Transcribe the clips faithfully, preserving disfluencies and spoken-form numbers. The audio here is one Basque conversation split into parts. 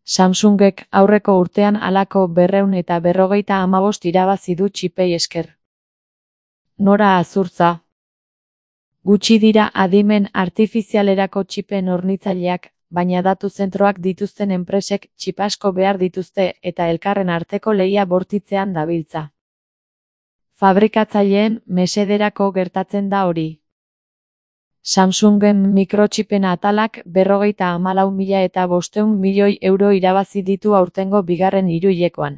Samsungek aurreko urtean halako berrehun eta berrogeita hamabost irabazi du txipei esker. Nora azurtza. Gutxi dira adimen artifizialerako txipen hornitzaileak, baina datu zentroak dituzten enpresek txip asko behar dituzte eta elkarren arteko lehia bortitzean dabiltza. Fabrikatzaileen mesederako gertatzen da hori. Samsungen mikrotxipen atalak berrogeita hamalau mila eta bostehun milioi euro irabazi ditu aurtengo bigarren hiruhilekoan.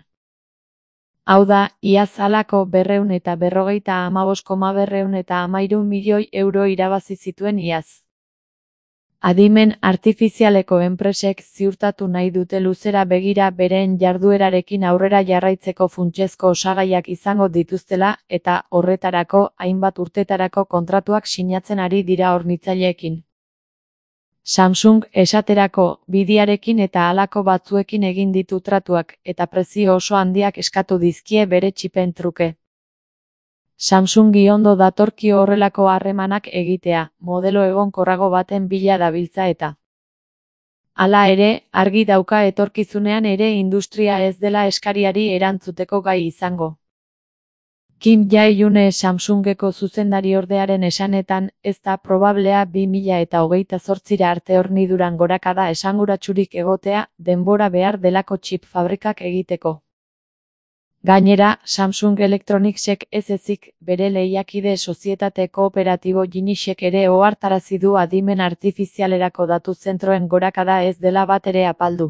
Hau da, iaz halako berrehun eta berrogeita hamabost koma berrehun eta hamairu milioi euro irabazi zituen iaz. Adimen artifizialeko enpresek ziurtatu nahi dute luzera begira bereen jarduerarekin aurrera jarraitzeko funtsezko osagaiak izango dituztela eta horretarako hainbat urtetarako kontratuak sinatzen ari dira hornitzaileekin. Samsung esaterako bidiarekin eta halako batzuekin egin ditu tratuak eta prezio oso handiak eskatu dizkie bere txipen truke. Samsungi ondo datorkio horrelako harremanak egitea, modelo egonkorrago baten bila dabiltza eta. Hala ere, argi dauka etorkizunean ere industria ez dela eskariari erantzuteko gai izango. Kim Jae-hyune Samsungeko zuzendariordearen esanetan, ez da probablea bi mila eta hogeita zortzira arte horniduran gorakada esanguratsurik egotea, denbora behar delako txip fabrikak egiteko. Gainera, Samsung Electronicsek ez ezik, bere lehiakide sozietate kooperatibo Ginisek ere ohartarazi du adimen artifizialerako datu zentroen gorakada ez dela batere apaldu.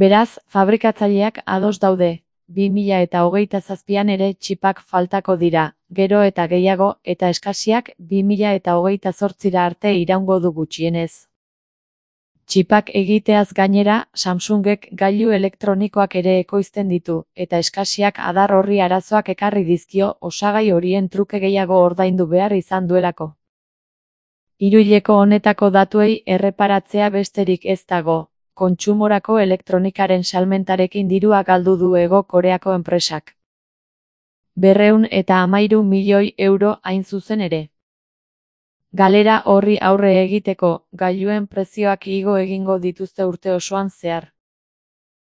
Beraz, fabrikatzaileak ados daude, bi mila eta hogeita zazpian ere txipak faltako dira, gero eta gehiago, eta eskasiak bi mila eta hogeita zortzira arte iraungo du gutxienez. Txipak egiteaz gainera, Samsungek gailu elektronikoak ere ekoizten ditu, eta eskasiak adar horri arazoak ekarri dizkio osagai horien truke gehiago ordaindu behar izan duelako. Hiruhileko honetako datuei erreparatzea besterik ez dago, kontsumorako elektronikaren salmentarekin dirua galdu du Hego Koreako enpresak. Berrehun eta hamairu milioi euro hain zuzen ere. Galera horri aurre egiteko, gailuen prezioak igo egingo dituzte urte osoan zehar.